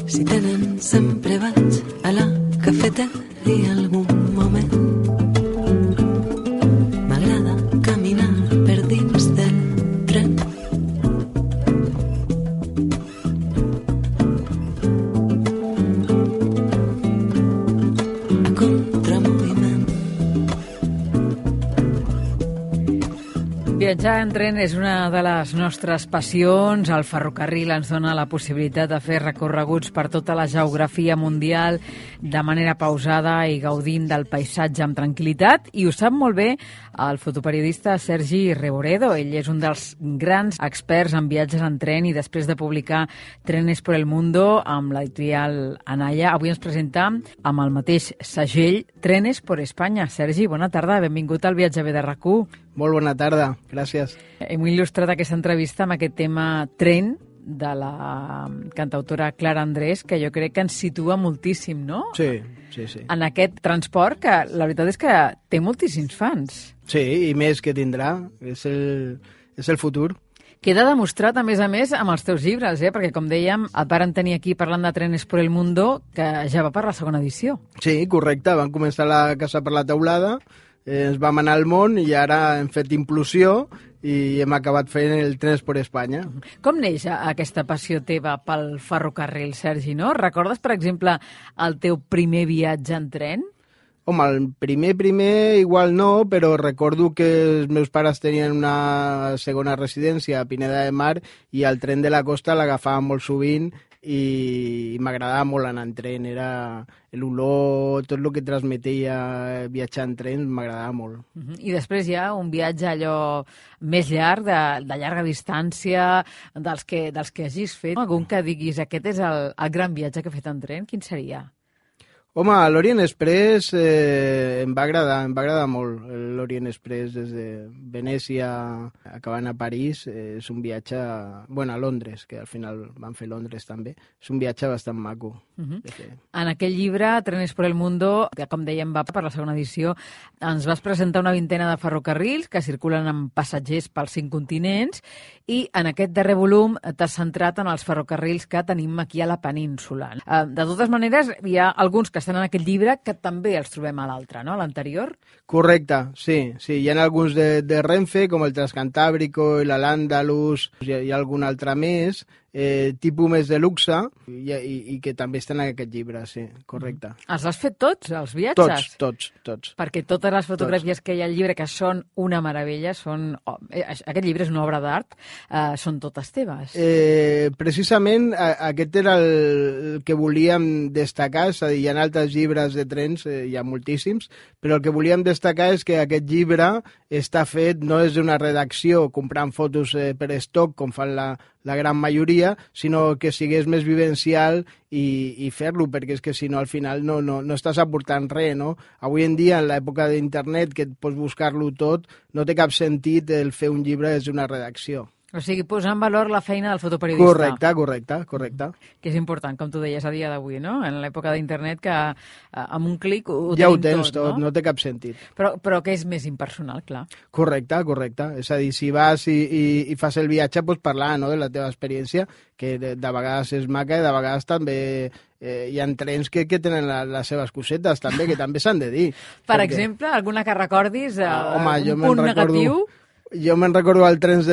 Si tenen sempre vaig a la cafeteria algun moment. M'agrada caminar per dins del tren. A contramoviment. Viatjar en tren és una de les nostres passions. El ferrocarril ens dona la possibilitat de fer recorreguts per tota la geografia mundial de manera pausada i gaudint del paisatge amb tranquil·litat. I ho sap molt bé el fotoperiodista Sergi Reboredo. Ell és un dels grans experts en viatges en tren i després de publicar Trenes por el Mundo amb l'editorial Anaya, avui ens presenta amb el mateix segell Trenes por España. Sergi, bona tarda, benvingut al Viatge de RAC1. Molt bona tarda, gràcies. Hem il·lustrat aquesta entrevista amb aquest tema tren de la cantautora Clara Andrés, que jo crec que ens situa moltíssim, no? Sí. En aquest transport, que la veritat és que té moltíssims fans. Sí, i més que tindrà. És el futur. Queda demostrat, a més, amb els teus llibres, perquè, com dèiem, et varen tenir aquí parlant de Trenes por el Mundo, que ja va per la segona edició. Sí, correcte. Van començar la Casa per la Teulada, ens vam anar al món i ara hem fet implosió i hem acabat fent el Trenes por Espanya. Com neix aquesta passió teva pel ferrocarril, Sergi, no? Recordes, per exemple, el teu primer viatge en tren? Home, el primer igual no, però recordo que els meus pares tenien una segona residència a Pineda de Mar i el tren de la costa l'agafàvem molt sovint i m'agradava molt anar en tren. Era l'olor, tot el que transmetia viatjar en tren m'agradava molt. I després hi ha un viatge allò més llarg, de llarga distància, dels que hagis fet. Algun que diguis, aquest és el gran viatge que he fet en tren, quin seria? Home, l'Orient Express em va agradar molt. L'Orient Express des de Venècia acabant a París és un viatge... Bueno, a Londres, que al final van fer Londres també. És un viatge bastant maco. En aquell llibre, Trenes por el Mundo, que com dèiem va per la segona edició, ens vas presentar una vintena de ferrocarrils que circulen amb passatgers pels 5 continents i en aquest darrer volum t'has centrat en els ferrocarrils que tenim aquí a la península. De totes maneres, hi ha alguns que estan en aquest llibre que també els trobem a l'altre, no? A l'anterior? Correcte, sí. Hi ha alguns de Renfe, com el Transcantàbrico i l'Al-Àndalus, hi ha algun altre més, tipus més de luxe, i que també estan en aquest llibre, sí, correcte. Els has fet tots, els viatges? Tots. Perquè totes les fotografies que hi ha al llibre, que són una meravella, aquest llibre és una obra d'art, són totes teves. Precisament aquest era el que volíem destacar, és a dir, hi ha altres llibres de trens, hi ha moltíssims, però el que volíem destacar és que aquest llibre està fet, no és d'una redacció comprant fotos per estoc, com fan la gran majoria, sinó que sigués més vivencial i fer-lo, perquè és que si no al final no estàs aportant res, no? Avui en dia, en l'època d'internet, que et pots buscar-lo tot, no té cap sentit el fer un llibre des d'una redacció. O sigui, posar en valor la feina del fotoperiodista. Correcte. Que és important, com tu deies, a dia d'avui, no? En l'època d'internet que amb un clic ho ja tenim ho tens tot, no té cap sentit. Però que és més impersonal, clar. Correcte. És a dir, si vas i fas el viatge, pots parlar, no?, de la teva experiència, que de vegades és maca i de vegades també hi ha trens que tenen les seves cosetes, també, que també s'han de dir. Per exemple, alguna que recordis, home, un punt negatiu? Jo me'n recordo el tren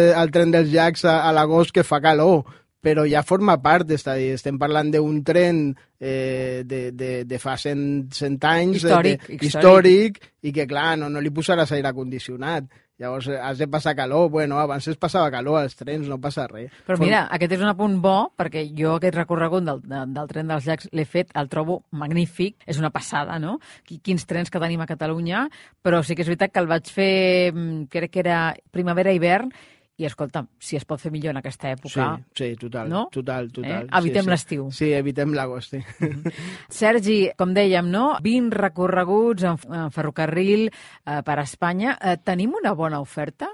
dels llacs a l'agost que fa calor, però ja forma part, és a dir, estem parlant d'un tren de fa 100 anys, històric, i que, clar, no li posaràs aire condicionat. Llavors has de passar calor. Bueno, abans es passava calor als trens, no passa res. Però mira, aquest és un apunt bo, perquè jo aquest recorregut del tren dels llacs l'he fet, el trobo magnífic, és una passada, no? Quins trens que tenim a Catalunya, però sí que és veritat que el vaig fer, crec que era primavera-hivern, i escolta, si es pot fer millor en aquesta època... Sí, total, no? Total. Evitem l'estiu. Sí, evitem l'agost, sí. Sergi, com dèiem, no? 20 recorreguts en ferrocarril per Espanya. Tenim una bona oferta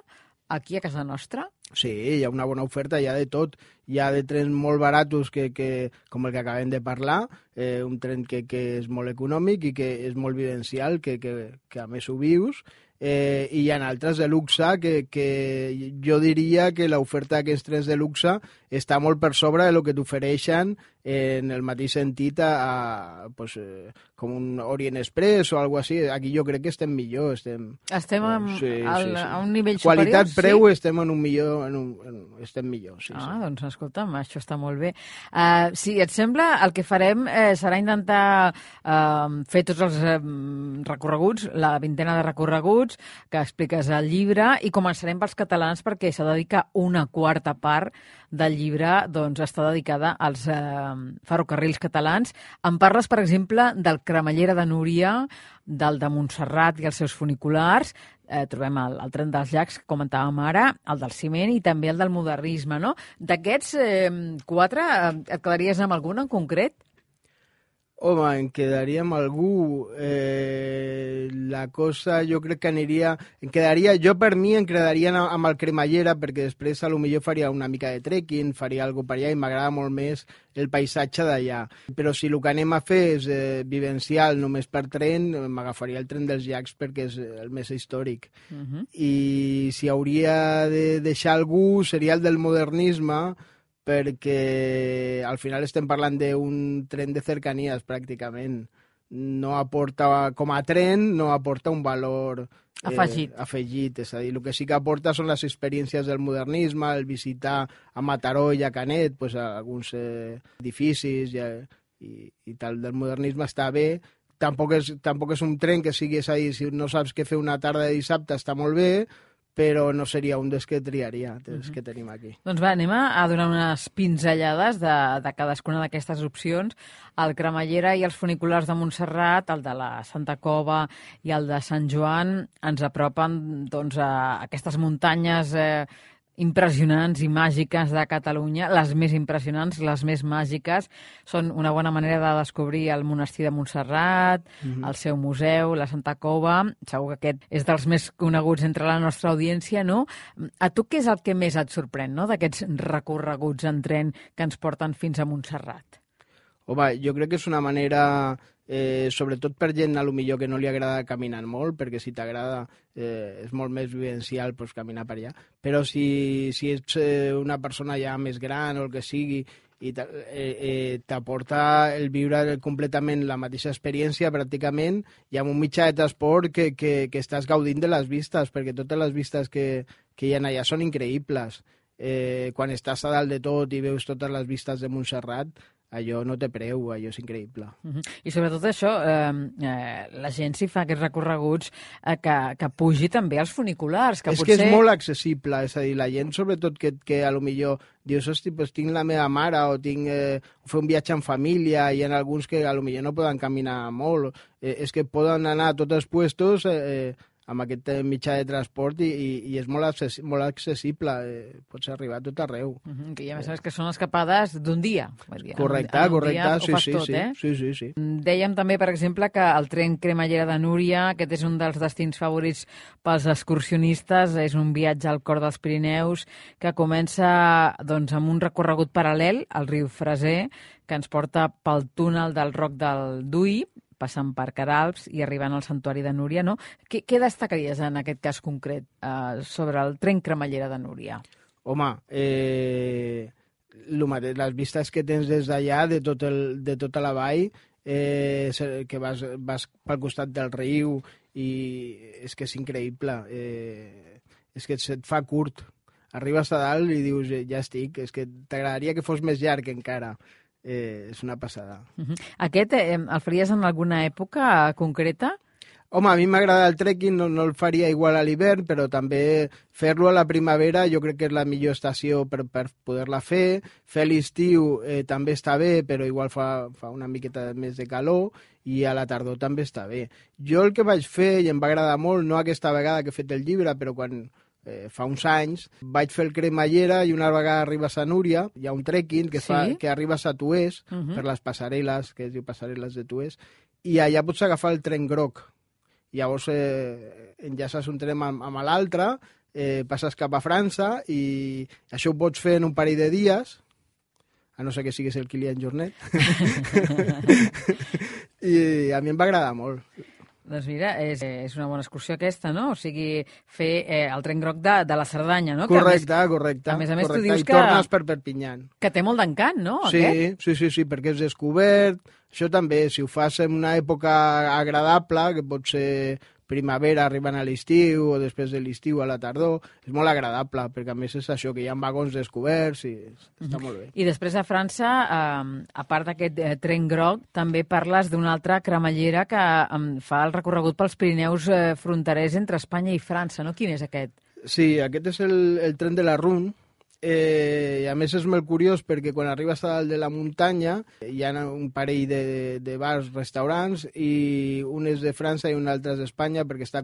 aquí a casa nostra? Sí, hi ha una bona oferta, hi ha de tot. Hi ha de trens molt baratos, com el que acabem de parlar, un tren que és molt econòmic i que és molt vivencial, que a més ho vius, i hi ha altres de luxe que jo diria que l'oferta d'aquests trens de luxe està molt per sobre de lo que t'ofereixen en el mateix sentit com un Orient Express o alguna cosa així. Aquí jo crec que estem millor. Estem a un nivell superior? Qualitat-preu estem en un millor... estem millor, sí. Doncs escolta'm, això està molt bé. Si et sembla, el que farem serà intentar fer tots els recorreguts, la vintena de recorreguts que expliques al llibre, i començarem pels catalans perquè s'ha de dir que una quarta part del llibre doncs, està dedicada als ferrocarrils catalans. Em parles, per exemple, del Cremallera de Núria, del de Montserrat i els seus funiculars. Trobem el tren dels llacs, que comentàvem ara, el del ciment i també el del modernisme, no? D'aquests 4, et quedaries amb algun en concret? Home, em quedaria amb algú. La cosa jo crec que aniria... Jo per mi em quedaria amb el Cremallera, perquè després a lo millor faria una mica de trekking, faria alguna per allà i m'agrada molt més el paisatge d'allà. Però si el que anem a fer és vivencial només per tren, m'agafaria el tren dels llacs perquè és el més històric. I si hauria de deixar algú seria el del modernisme, perquè al final estem parlant d'un tren de cercanies, pràcticament. No aporta, com a tren, no aporta un valor afegit. És a dir, el que sí que aporta són les experiències del modernisme, el visitar a Mataró i a Canet, pues, alguns edificis i tal del modernisme està bé. Tampoc és un tren que sigui, és a dir, si no saps què fer una tarda de dissabte està molt bé, però no seria un dels que triaria, dels que tenim aquí. Doncs va, anem a donar unes pinzellades de cadascuna d'aquestes opcions. El Cremallera i els funiculars de Montserrat, el de la Santa Cova i el de Sant Joan, ens apropen doncs, a aquestes muntanyes impressionants i màgiques de Catalunya. Les més impressionants, les més màgiques, són una bona manera de descobrir el monestir de Montserrat, el seu museu, la Santa Cova. Segur que aquest és dels més coneguts entre la nostra audiència, no? A tu què és el que més et sorprèn, no?, d'aquests recorreguts en tren que ens porten fins a Montserrat? Home, jo crec que és una manera... sobretot per gent a lo millor que no li agrada caminar molt, perquè si t'agrada és molt més vivencial pues, caminar per allà, però si ets una persona ja més gran o el que sigui i t'aporta el viure completament la mateixa experiència pràcticament, i amb un mitjà de transport que estàs gaudint de les vistes, perquè totes les vistes que hi ha allà són increïbles. Quan estàs a dalt de tot i veus totes les vistes de Montserrat, allò no té preu, allò és increïble. I sobretot això, la gent si fa aquests recorreguts que pugi també als funiculars. És que és molt accessible, és a dir, la gent sobretot que a lo millor dius, hosti, pues tinc la meva mare o fer un viatge en família, i hi ha alguns que a lo millor no poden caminar molt, és que poden anar a tots els puestos amb aquest mitjà de transport i és molt accessible, pots arribar a tot arreu. I a més que són escapades d'un dia. Correcte, sí. Dèiem també, per exemple, que el tren Cremallera de Núria, aquest és un dels destins favorits pels excursionistes, és un viatge al cor dels Pirineus que comença doncs, amb un recorregut paral·lel al riu Freser, que ens porta pel túnel del Roc del Dui, passant per Queralbs i arribant al Santuari de Núria, no? Què destacaries en aquest cas concret sobre el tren Cremallera de Núria? Home, les vistes que tens des d'allà, de tota la vall, que vas pel costat del riu, i és que és increïble. És que se't fa curt. Arribes a dalt i dius, ja estic, és que t'agradaria que fos més llarg encara. És una passada. Aquest el faries en alguna època concreta? Home, a mi m'agrada el trekking, no el faria igual a l'hivern, però també fer-lo a la primavera jo crec que és la millor estació per poder-la fer. Fer l'estiu també està bé, però igual fa una miqueta més de calor, i a la tardor també està bé. Jo el que vaig fer, i em va agradar molt, no aquesta vegada que he fet el llibre, però quan... fa uns anys, vaig fer el Cremallera i una vegada arribes a Núria, hi ha un trekking que arribes a Tuès, per les passarel·les, que es diu passarel·les de Tuès, i allà pots agafar el tren groc. Llavors enllaces un tren amb l'altre, passes cap a França, i això ho pots fer en un parell de dies, a no ser que siguis el Kilian Jornet. I a mi em va agradar molt. Doncs mira, és una bona excursió aquesta, no? O sigui, fer el tren groc de la Cerdanya, no? Correcte, que a més, tu dius I tornes per Perpinyà. Que té molt d'encant, no? Sí, perquè és descobert. Això també, si ho fas en una època agradable, que pot ser primavera arribant a l'estiu o després de l'estiu a la tardor, és molt agradable, perquè a més és això, que hi ha vagons descoberts i està molt bé. I després a França, a part d'aquest tren groc, també parles d'una altra cremallera que fa el recorregut pels Pirineus fronterers entre Espanya i França, no? Quin és aquest? Sí, aquest és el tren de la Rhône, i a més és molt curiós perquè quan arribes a dalt de la muntanya hi ha un parell de bars, restaurants, i un és de França i un altre és d'Espanya perquè està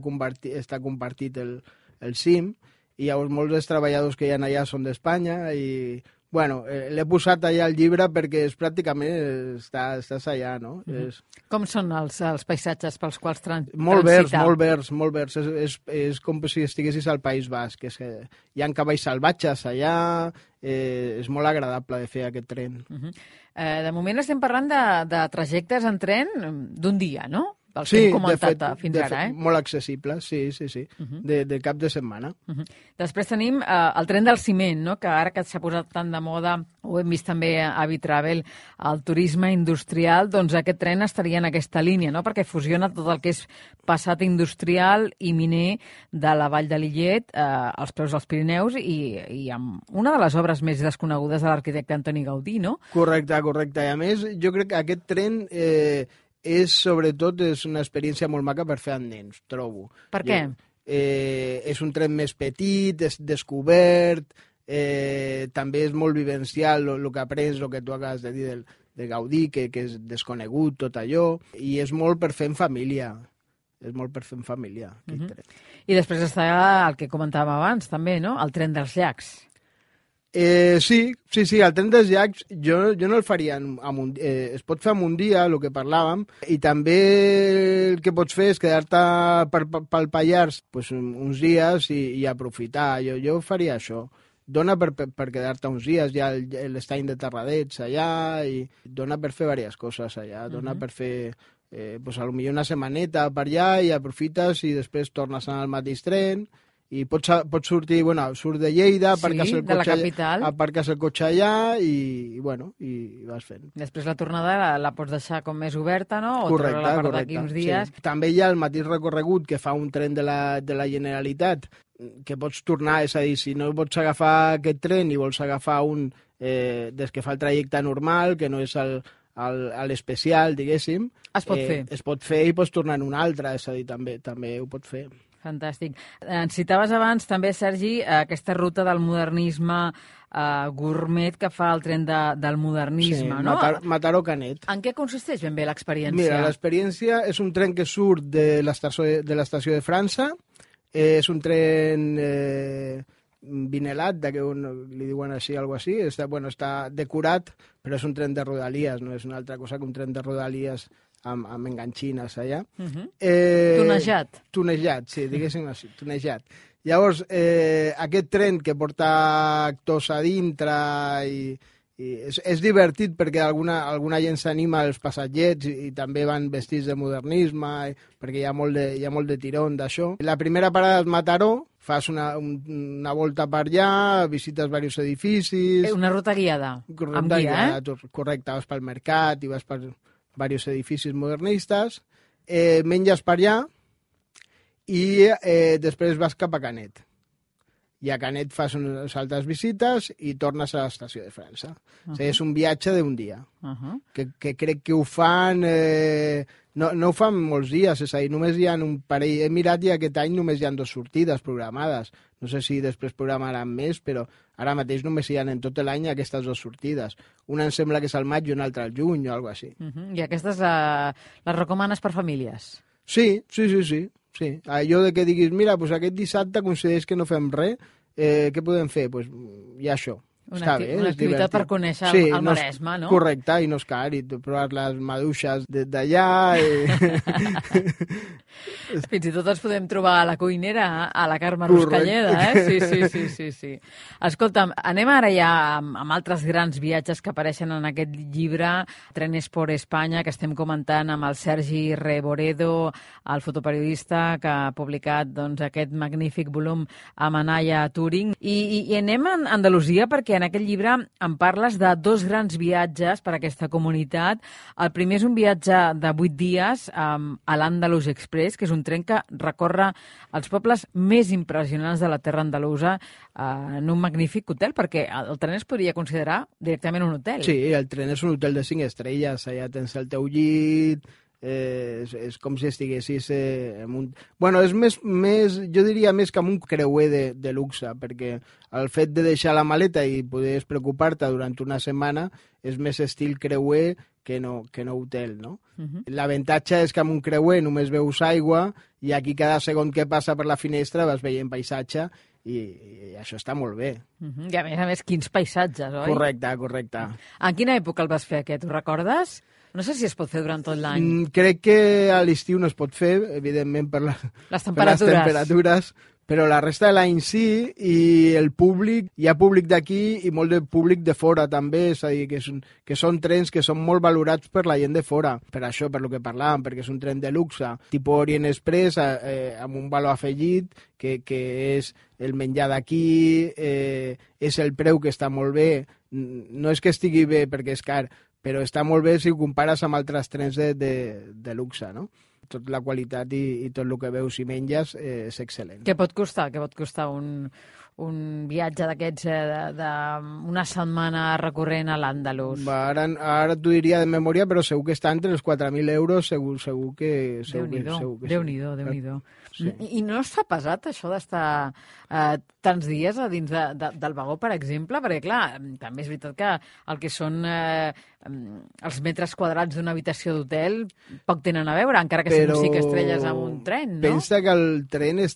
compartit el cim, i llavors molts dels treballadors que hi ha allà són d'Espanya i bueno, l'he posat allà al llibre perquè pràcticament estàs allà, no? Com són els paisatges pels quals transitar? Molt verds. És com si estiguessis al País Basc. Hi ha cavalls salvatges allà, és molt agradable de fer aquest tren. De moment estem parlant de trajectes en tren d'un dia, no? El que hem comentat fins ara, molt accessible, sí. De cap de setmana. Després tenim el tren del ciment, no? Que ara que s'ha posat tant de moda, ho hem vist també a Bitravel, el turisme industrial, doncs aquest tren estaria en aquesta línia, no? Perquè fusiona tot el que és passat industrial i miner de la Vall de Lillet als peus dels Pirineus i amb una de les obres més desconegudes de l'arquitecte Antoni Gaudí, no? Correcte. I a més, jo crec que aquest tren sobretot és una experiència molt maca per fer amb nens, trobo. Per què? És un tren més petit, és descobert, també és molt vivencial el que aprens, el que tu acabes de dir de Gaudí, que és desconegut tot allò, i és molt per fer en família. I després està el que comentàvem abans, també, no? El tren dels llacs. Sí, el tren dels llacs jo no el faria es pot fer en un dia, el que parlàvem, i també el que pots fer és quedar-te pel Pallars uns dies i aprofitar. Jo faria això. Dona per quedar-te uns dies, hi ha l'estany de Terradets allà, i dona per fer diverses coses allà, dona per fer potser una setmaneta per allà i aprofites i després tornes al mateix tren. I pots sortir, surt de Lleida, aparques el cotxe allà i vas fent. Després la tornada la pots deixar com més oberta, no? O correcte, la part d'aquí uns dies. Sí. També hi ha el mateix recorregut que fa un tren de la Generalitat, que pots tornar, és a dir, si no pots agafar aquest tren i vols agafar un des que fa el trajecte normal, que no és l'especial, diguéssim, es pot fer. Es pot fer i pots tornar en un altre, és a dir, també ho pots fer. Fantàstic. Ens citaves abans també, Sergi, aquesta ruta del modernisme gourmet que fa el tren del modernisme, no? Mataró-Canet. En què consisteix ben bé l'experiència? Mira, l'experiència és un tren que surt de l'estació de França, és un tren vinelat, que li diuen així, alguna cosa així, està decorat, però és un tren de rodalies, no és una altra cosa que un tren de rodalies amb enganxines allà. Tunejat, sí, diguéssim així, tunejat. Llavors, aquest tren que porta actors a dintre i és divertit perquè alguna gent s'anima als passatgers i també van vestits de modernisme perquè hi ha molt de tirón d'això. La primera parada és Mataró, fas una volta per allà, visites diversos edificis... Una ruta guiada, amb guia, Correcte, vas pel mercat i vas per diversos edificis modernistes, menges per allà i després vas cap a Canet. I a Canet fas unes altres visites i tornes a l'estació de França. O sigui, és un viatge d'un dia, que crec que ho fan... No ho fan molts dies, és a dir, només hi ha un parell... He mirat i aquest any només hi ha 2 sortides programades. No sé si després programaran més, però ara mateix només hi ha en tot l'any aquestes 2 sortides. Una em sembla que és al maig i una altra al juny o alguna cosa així. I aquestes les recomanes per famílies? Sí. Allò de que diguis, mira, aquest dissabte considereix que no fem res, què podem fer? Hi ha això. Està bé, una és activitat divertit. per conèixer el Maresme, no? Correcte, i no és car, i provar les maduixes d'allà... Fins i tot ens podem trobar a la cuinera, a la Carme Correcte. Ruscalleda, Sí. Escolta'm, anem ara ja amb altres grans viatges que apareixen en aquest llibre, Trenes por España, que estem comentant amb el Sergi Reboredo, el fotoperiodista que ha publicat doncs, aquest magnífic volum a Manalla, a Turing. I anem a Andalusia perquè en aquest llibre em parles de dos grans viatges per a aquesta comunitat. El primer és un viatge de 8 dies a l'Andalus Express, que és un tren que recorre els pobles més impressionants de la terra andalusa en un magnífic hotel, perquè el tren es podria considerar directament un hotel. Sí, el tren és un hotel de 5 estrelles, allà tens el teu llit, és com si estiguessis en un... Bueno, és més, jo diria més que amb un creuer de luxe, perquè el fet de deixar la maleta i poder preocupar-te durant una setmana és més estil creuer que no hotel, no? L'avantatge és que amb un creuer només veus aigua i aquí cada segon que passa per la finestra vas veient paisatge i això està molt bé. I a més, quins paisatges, oi? Correcte. En quina època el vas fer, aquest? Ho recordes? No sé si es pot fer durant tot l'any. Crec que a l'estiu no es pot fer, evidentment per les temperatures, però la resta de l'any sí, i el públic, hi ha públic d'aquí i molt de públic de fora també, és a dir, que són trens que són molt valorats per la gent de fora, per això, per lo que parlàvem, perquè és un tren de luxe, tipus Orient Express, amb un valor afegit, que és el menjar d'aquí, és el preu que està molt bé, no és que estigui bé perquè és car, però està molt bé si ho compares amb altres trens de luxe, no? Tota la qualitat i tot el que veus i menges és excel·lent. Què pot costar? Un viatge d'aquests d'una setmana recorrent a l'Àndalus? Ara t'ho diria de memòria, però segur que està entre els 4.000 euros, segur que... Déu-n'hi-do. Sí. I no es fa pesat, això d'estar tants dies a dins del vagó, per exemple? Perquè, clar, també és veritat que el que són els metres quadrats d'una habitació d'hotel poc tenen a veure, encara que siguin 5 estrelles amb un tren, no? Pensa que el tren no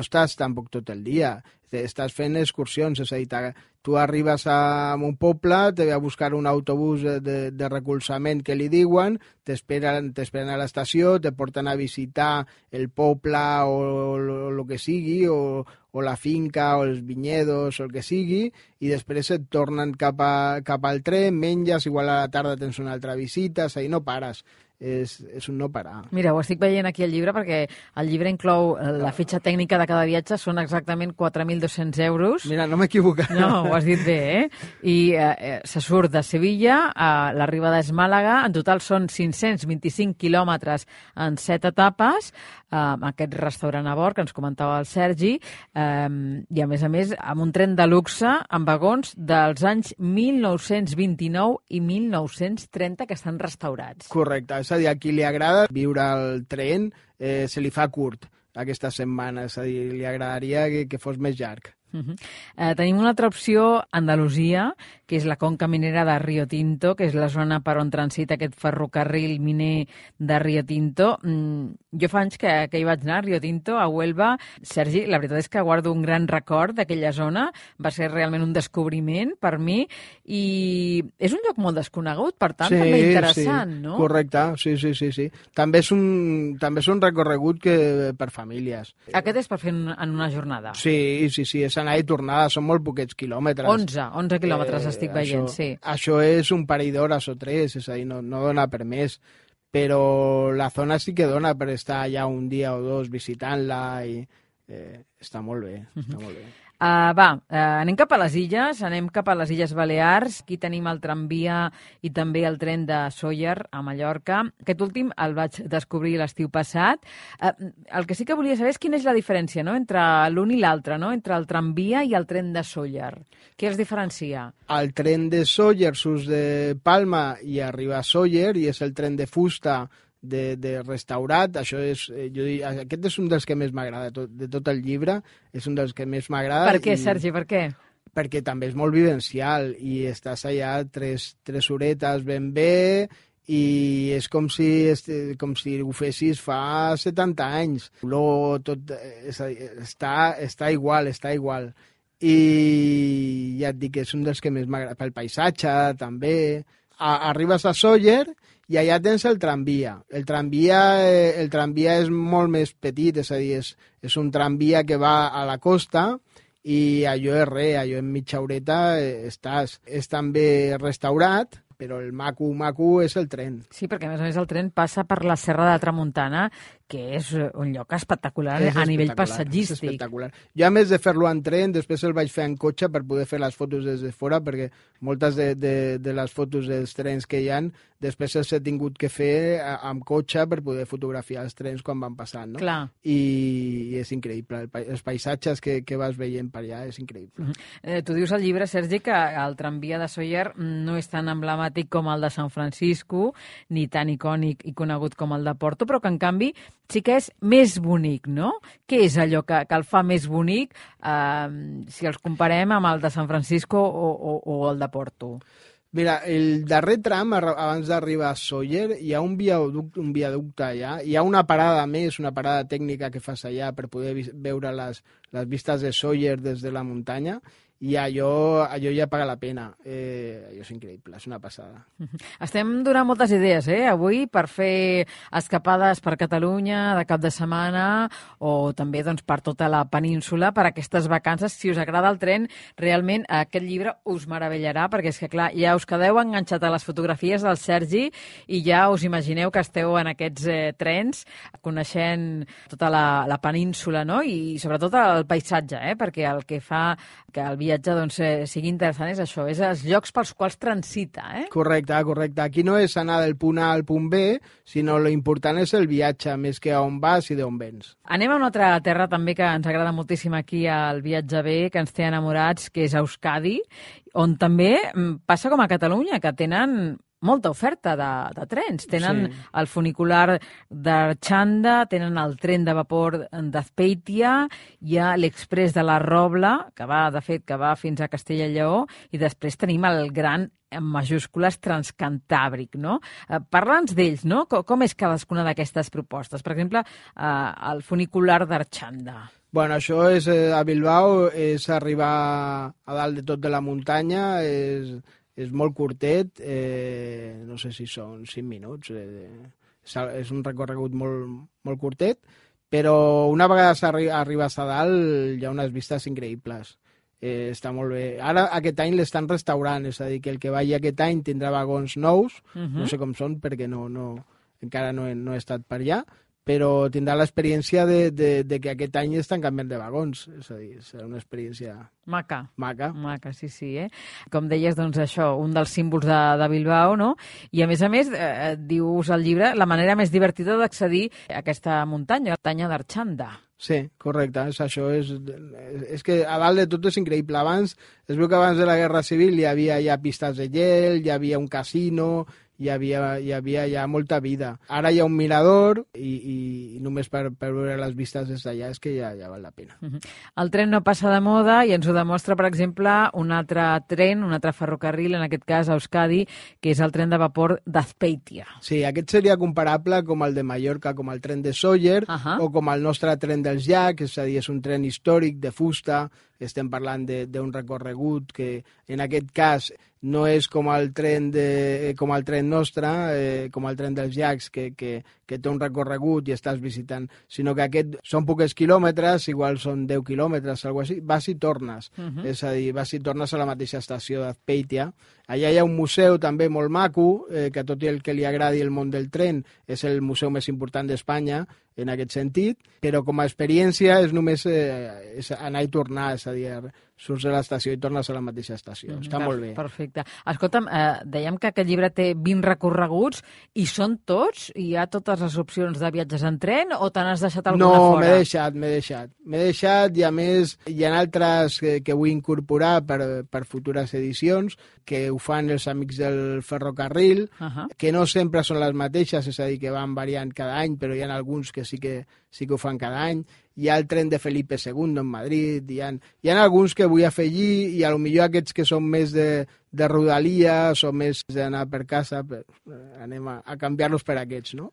estàs tampoc tot el dia. Estàs fent excursions, és a dir, tu arribes a un poble, te ve a buscar un autobús de recolzament que li diuen, t'esperen a l'estació, te porten a visitar el poble o el que sigui, o la finca, o els vinyedos, o el que sigui, i després et tornen cap al tren, menges, igual a la tarda tens una altra visita, és a dir, no pares. És un no parar. Mira, ho estic veient aquí al llibre perquè el llibre inclou la fitxa tècnica de cada viatge, són exactament 4.200 euros. Mira, no m'he equivocat. No, ho has dit bé, eh? I se surt de Sevilla, l'arribada és Màlaga, en total són 525 quilòmetres en 7 etapes, aquest restaurant a bord que ens comentava el Sergi, i a més, amb un tren de luxe amb vagons dels anys 1929 i 1930 que estan restaurats. Correcte, és a dir, a qui li agrada viure al tren se li fa curt aquesta setmana, és a dir, li agradaria que fos més llarg. Tenim una altra opció, Andalusia, que és la conca minera de Rio Tinto, que és la zona per on transita aquest ferrocarril miner de Rio Tinto. Jo fa anys que hi vaig anar, a Rio Tinto, a Huelva. Sergi, la veritat és que guardo un gran record d'aquella zona. Va ser realment un descobriment per mi i és un lloc molt desconegut, per tant, també interessant, no? Correcte, sí. També és un recorregut per famílies. Aquest és per fer en una jornada? Sí, és anar i tornada, són molt poquets quilòmetres. 11 quilòmetres estic veient, sí. Això és un parell d'hores o 3, és a dir, no dona per més, però la zona sí que dona per estar allà un dia o dos visitant-la i està molt bé, està molt bé. Anem cap a les Illes Balears. Aquí tenim el tramvia i també el tren de Sóller a Mallorca. Aquest últim el vaig descobrir l'estiu passat. El que sí que volia saber és quina és la diferència, no?, entre l'un i l'altre, no?, entre el tramvia i el tren de Sóller. Què els diferencia? El tren de Sóller surt de Palma i arriba a Sóller i és el tren de fusta de restaurat. Això és, aquest és un dels que més m'agrada de tot el llibre, és un dels que més m'agrada. Per què, Sergi, per què? Perquè també és molt vivencial i estàs allà 3 horetes ben bé i és com si ho fessis fa 70 anys. Tot està igual. i ja et dic que és un dels que més m'agrada, pel paisatge també. Arribes a Sóller i allà tens el tramvia. El tramvia és molt més petit, és a dir, és un tramvia que va a la costa i allò és res, allò en mitja horeta estàs. És també restaurat, però el maco és el tren. Sí, perquè a més el tren passa per la Serra de Tramuntana, que és un lloc espectacular a nivell paisatgístic. És espectacular. Jo, a més de fer-lo en tren, després el vaig fer en cotxe per poder fer les fotos des de fora, perquè moltes de les fotos dels trens que hi ha, després els he tingut que fer amb cotxe per poder fotografiar els trens quan van passant, no? Clar. I és increïble. Els paisatges que vas veient per allà és increïble. Tu dius al llibre, Sergi, que el tramvia de Sóller no és tan emblemàtic com el de San Francisco, ni tan icònic i conegut com el de Porto, però que, en canvi, sí que és més bonic, no? Què és allò que el fa més bonic si els comparem amb el de San Francisco o el de Porto? Mira, el darrer tram, abans d'arribar a Sóller, hi ha un viaducte allà, hi ha una parada més, una parada tècnica que fas allà per poder veure les vistes de Sóller des de la muntanya, i allò ja paga la pena. Allò és increïble, és una passada. Estem donant moltes idees, avui, per fer escapades per Catalunya de cap de setmana o també doncs, per tota la península, per aquestes vacances. Si us agrada el tren, realment aquest llibre us meravellarà, perquè és que, clar, ja us quedeu enganxat a les fotografies del Sergi i ja us imagineu que esteu en aquests trens, coneixent tota la península, no? I sobretot el paisatge, perquè el que fa que el viatge doncs, sigui interessant és això, és els llocs pels quals transita. Correcte. Aquí no és anar del punt A al punt B, sinó l'important és el viatge, més que a on vas i d'on vens. Anem a una altra terra també que ens agrada moltíssim aquí al Viatge B, que ens té enamorats, que és Euskadi, on també passa com a Catalunya, que tenen molta oferta de trens. Tenen el funicular d'Arxanda, tenen el tren de vapor d'Azpeitia, hi ha l'Express de la Robla, que va fins a Castella i Lleó, i després tenim el gran, en majúscules, Transcantàbric, no? Parla'ns d'ells, no? Com és cadascuna d'aquestes propostes? Per exemple, el funicular d'Arxanda. Bueno, això és a Bilbao, és arribar a dalt de tot de la muntanya, és molt curtet, no sé si són 5 minuts, és un recorregut molt curtet, però una vegada arribes a dalt hi ha unes vistes increïbles. Està molt bé. Ara aquest any l'estan restaurant, és a dir, que el que vagi aquest any tindrà vagons nous, no sé com són perquè encara no he estat per allà, però tindrà l'experiència de que aquest any estan canviant de vagons, és a dir, serà una experiència maca, sí. Com deies, doncs això, un dels símbols de Bilbao, no? I a més, dius al llibre, la manera més divertida d'accedir a aquesta muntanya, la muntanya d'Arxanda. Sí, correcte, és això. És que a dalt de tot és increïble. Es veu que abans de la Guerra Civil hi havia ja pistes de gel, hi havia un casino, hi havia ja molta vida. Ara hi ha un mirador i només per veure les vistes des d'allà és que ja val la pena. El tren no passa de moda i ens ho demostra, per exemple, un altre tren, un altre ferrocarril, en aquest cas a Euskadi, que és el tren de vapor d'Azpeitia. Sí, aquest seria comparable com el de Mallorca, com el tren de Sóller, o com el nostre tren dels llacs, és a dir, és un tren històric de fusta. Estem parlant d'un recorregut que, en aquest cas, no és com el tren nostre, com el tren dels llacs, que té un recorregut i estàs visitant, sinó que aquest són pocs quilòmetres, igual són 10 quilòmetres, alguna cosa així, vas i tornes. És a dir, vas i tornes a la mateixa estació d'Azpeitia. Allà hi ha un museu també molt maco, que tot i el que li agradi el món del tren, és el museu més important d'Espanya, en aquest sentit, però com a experiència és només anar i tornar, és a dir, surts de l'estació i tornes a la mateixa estació. Està molt bé. Perfecte. Escolta'm, dèiem que aquest llibre té 20 recorreguts i són tots? Hi ha totes les opcions de viatges en tren o te n'has deixat alguna fora? No, m'he deixat i a més hi ha altres que vull incorporar per futures edicions, que ho fan els amics del ferrocarril, que no sempre són les mateixes, és a dir, que van variant cada any, però hi ha alguns que sí que ho fan cada any. Hi ha el tren de Felipe II en Madrid, hi ha alguns que vull afegir i potser aquests que són més de rodalies o més d'anar per casa, anem a canviar-los per aquests, no?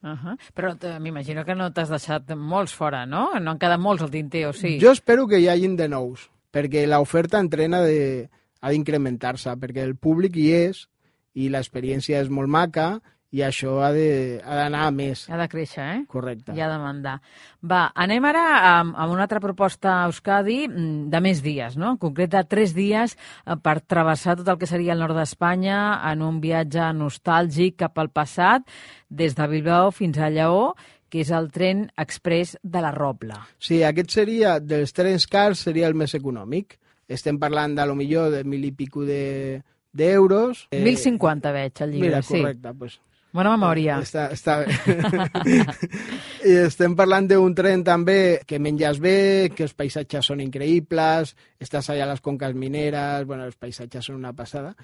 Però m'imagino que no t'has deixat molts fora, no? No han quedat molts al tinter, o sí? Jo espero que hi hagin de nous. perquè l'oferta en tren ha d'incrementar-se, perquè el públic hi és i l'experiència és molt maca i això ha d'anar a més. Ha de créixer, eh? Correcte. I ha de mandar. Va, anem ara amb una altra proposta a Euskadi de més dies, no? En concret de 3 dies per travessar tot el que seria el nord d'Espanya en un viatge nostàlgic cap al passat, des de Bilbao fins a Lleó, que és el tren express de la Robla. Sí, aquest seria, dels trens cars, seria el més econòmic. Estem parlant de lo millor de 1.000 i pico d'euros. 1.050 veig al llibre, mira, sí. correcte, pues, bona memòria. Està bé. I estem parlant d'un tren també que menges bé, que els paisatges són increïbles, estàs allà a les conques mineres, bueno, els paisatges són una passada,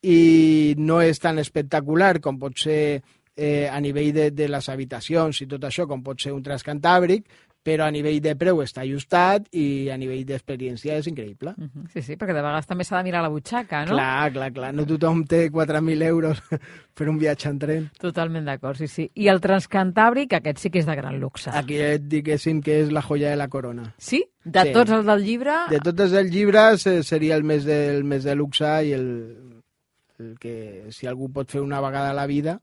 i no és tan espectacular com pot ser a nivell de les habitacions i tot això, com pot ser un Transcantàbric, però a nivell de preu està ajustat i a nivell d'experiència és increïble. Sí, sí, perquè de vegades també s'ha de mirar la butxaca, no? Clar. No tothom té 4.000 euros per un viatge en tren. Totalment d'acord, sí, sí. I el Transcantàbric, aquest sí que és de gran luxe. Aquest, diguéssim, que és la joia de la corona. Sí? De Sí. tots els del llibre... De tots els llibres seria el més de luxe i el que, si algú pot fer una vegada a la vida...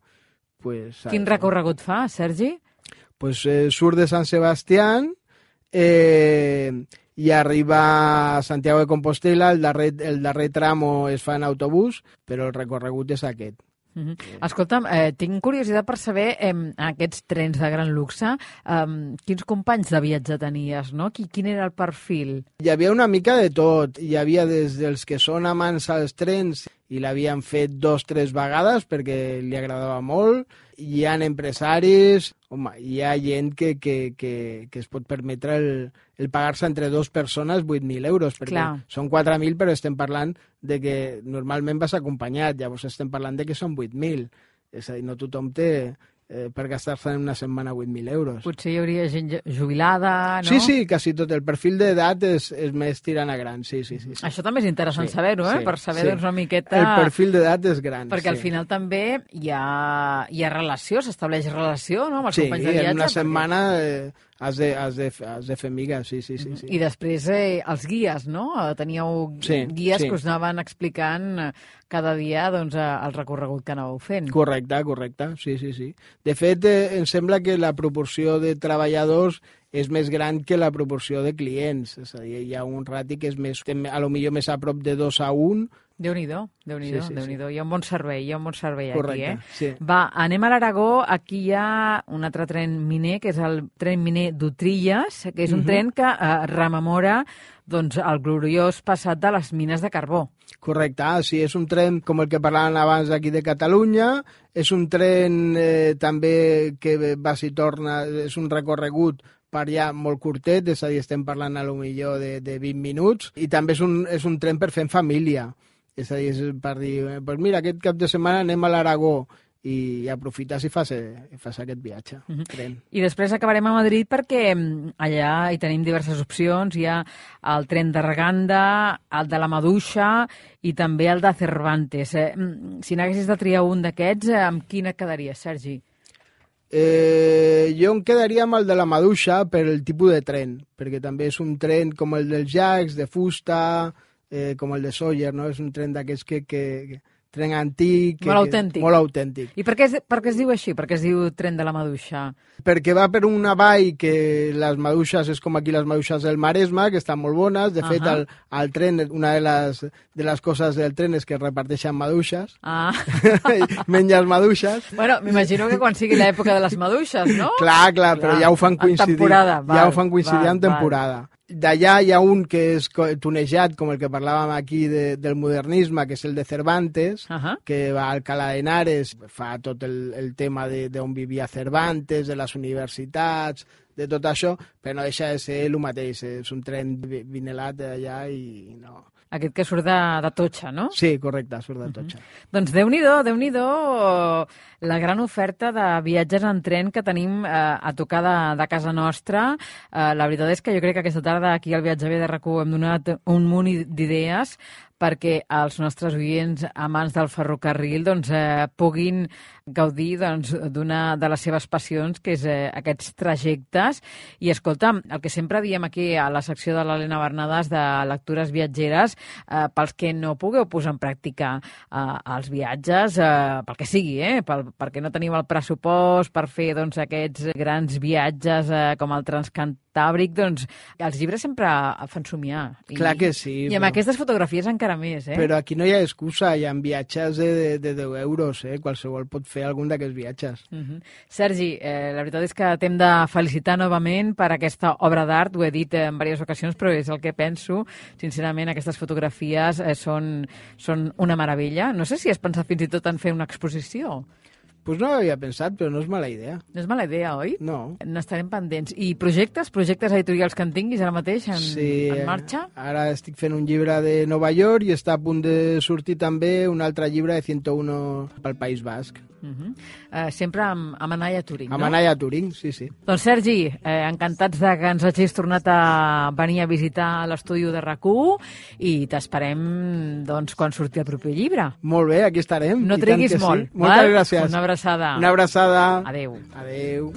Pues, Quin recorregut fa, Sergi? Pues surt de Sant Sebastián i arriba a Santiago de Compostela. El darrer tramo es fa en autobús, però el recorregut és aquest. Escolta'm, tinc curiositat per saber, aquests trens de gran luxe, quins companys de viatge tenies, no? Quin era el perfil? Hi havia una mica de tot. Hi havia des dels que són amants als trens i l'havien fet 2 o 3 vegades perquè li agradava molt. Hi ha empresaris, home, hi ha gent que es pot permetre el pagar-se entre 2 persones 8.000 euros, perquè són 4.000, però estem parlant de que normalment vas acompanyat, llavors estem parlant de que són 8.000. És a dir, no tothom té per gastar-se en una setmana 8.000 euros. Potser hi hauria gent jubilada, no? Sí, quasi tot. El perfil d'edat és més tirant a gran, sí. Això també és interessant saber-ho, per saber doncs, una miqueta... El perfil d'edat és gran, perquè al final també hi ha relació, s'estableix relació, no?, amb els companys de viatge. Sí, en una setmana has de fer migues, sí. I després els guies, no? Teníeu guies que us anaven explicant cada dia doncs, el recorregut que anàveu fent. Correcte, sí. De fet, em sembla que la proporció de treballadors és més gran que la proporció de clients. És a dir, hi ha un rati que és més, a lo millor més a prop de 2-1. Déu-n'hi-do. Hi ha un bon servei, correcte, aquí, sí. Va, anem a l'Aragó. Aquí hi ha un altre tren miner, que és el tren miner d'Utrilles, que és un tren que rememora doncs, el gloriós passat de les mines de carbó. Correcte, sí, és un tren com el que parlàvem abans aquí de Catalunya, és un tren també que va i torna, és un recorregut per allà molt curtet, és a dir, estem parlant a lo millor de 20 minuts, i també és un tren per fer en família, és a dir, és per dir, pues mira, aquest cap de setmana anem a l'Aragó, i aprofites i fas aquest viatge. Tren. I després acabarem a Madrid perquè allà hi tenim diverses opcions. Hi ha el tren d'Arganda, el de la Maduixa i també el de Cervantes. Si n'haguessis de triar un d'aquests, amb quin et quedaries, Sergi? Jo em quedaria amb el de la Maduixa per el tipus de tren, perquè també és un tren com el dels Jacs, de fusta, com el de Sóller, no? És un tren d'aquests que tren antic. Molt autèntic. I per què es diu així? Per què es diu tren de la Maduixa? Perquè va per una vall que les maduixes és com aquí les maduixes del Maresme, que estan molt bones. De fet, el tren, una de les coses del tren és que reparteixen maduixes. Menges maduixes. Bueno, m'imagino que quan sigui l'època de les maduixes, no? Clar, però ja ho fan coincidir. Ja ho fan coincidir en temporada. D'allà hi ha un que és tunejat, com el que parlàvem aquí del modernisme, que és el de Cervantes, que va a Alcalá de Henares, fa tot el tema d'on vivia Cervantes, de les universitats, de tot això, però no deixa de ser el mateix, és un tren vinelat d'allà i no... Aquest que surt de Totxa, no? Sí, correcte, surt de Totxa. Doncs Déu-n'hi-do, la gran oferta de viatges en tren que tenim a tocar de casa nostra. La veritat és que jo crec que aquesta tarda aquí al Viatge B de RAC1 hem donat un munt d'idees perquè els nostres oients amants del ferrocarril puguin gaudir d'una de les seves passions, que és aquests trajectes. I escolta'm, el que sempre diem aquí a la secció de l'Helena Bernades de lectures viatgeres, pels que no pugueu posar en pràctica els viatges, pel que sigui, perquè no teniu el pressupost per fer aquests grans viatges com el Transcantàbric, els llibres sempre fan somiar. Clar que sí. I amb aquestes fotografies encara més. Però aquí no hi ha excusa, hi ha viatges de 10 euros, qualsevol pot fer algun d'aquests viatges. Sergi, la veritat és que t'hem de felicitar novament per aquesta obra d'art, ho he dit en diverses ocasions, però és el que penso. Sincerament, aquestes fotografies són una meravella. No sé si has pensat fins i tot en fer una exposició. Pues no ho havia pensat, però no és mala idea. No és mala idea, oi? No. N'estarem pendents. I projectes editorials que en tinguis ara mateix en marxa? Ara estic fent un llibre de Nova York i està a punt de sortir també un altre llibre de 101 pel País Basc. Sempre amb Anaya Turing, no? Amb Anaya Turing, sí. Doncs Sergi, encantats de que ens hagis tornat a venir a visitar l'estudi de RAC1 i t'esperem quan surti el proper llibre. Molt bé, aquí estarem. No triguis molt. Sí. Moltes gràcies. Una abraçada. Una abraçada. Adéu. Adéu.